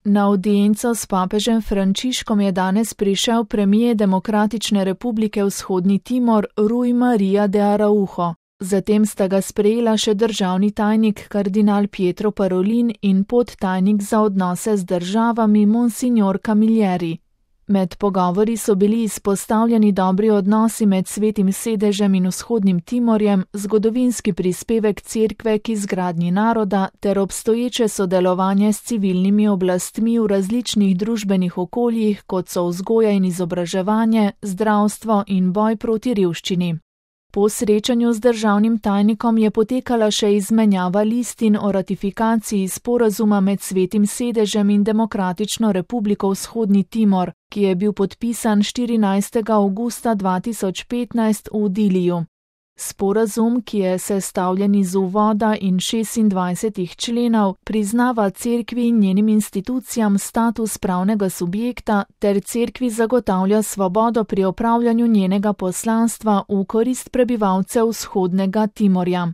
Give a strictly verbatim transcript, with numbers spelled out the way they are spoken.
Na audienco s papežem Frančiškom je danes prišel premier Demokratične republike Vzhodni Timor Rui Maria de Araujo. Zatem sta ga sprejela še državni tajnik kardinal Pietro Parolin in podtajnik za odnose z državami Monsignor Camilleri. Med pogovori so bili izpostavljeni dobri odnosi med Svetim sedežem in Vzhodnim Timorjem, zgodovinski prispevek cerkve k izgradnji naroda ter obstoječe sodelovanje s civilnimi oblastmi v različnih družbenih okoljih, kot so vzgoja in izobraževanje, zdravstvo in boj proti revščini. Po srečanju z državnim tajnikom je potekala še izmenjava listin o ratifikaciji sporazuma med Svetim sedežem in Demokratično republiko Vzhodni Timor, ki je bil podpisan štirinajstega avgusta dva tisoč petnajst v Diliju. Sporazum, ki je sestavljen iz uvoda in šestindvajsetih členov, priznava cerkvi in njenim institucijam status pravnega subjekta ter cerkvi zagotavlja svobodo pri opravljanju njenega poslanstva v korist prebivalcev Vzhodnega Timorja.